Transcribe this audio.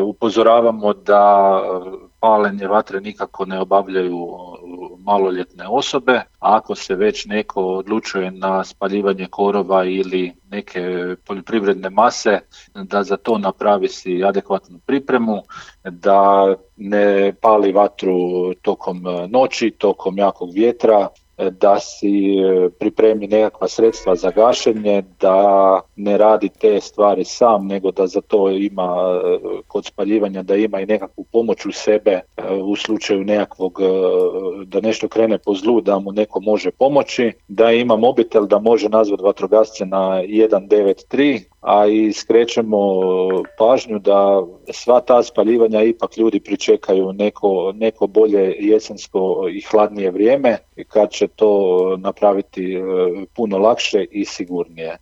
Upozoravamo da paljenje vatre nikako ne obavljaju maloljetne osobe, a ako se već neko odlučuje na spaljivanje korova ili neke poljoprivredne mase, da za to napravi si adekvatnu pripremu, da ne pali vatru tokom noći, tokom jakog vjetra, da si pripremi nekakva sredstva za gašenje, da ne radi te stvari sam, nego da za to ima kod spaljivanja, da ima i nekakvu pomoć u sebe u slučaju nekakvog, da nešto krene po zlu, da mu neko može pomoći, da ima mobitel da može nazvati vatrogasce na 193, a i skrećemo pažnju da sva ta spaljivanja ipak ljudi pričekaju neko bolje jesensko i hladnije vrijeme kad će to napraviti puno lakše i sigurnije.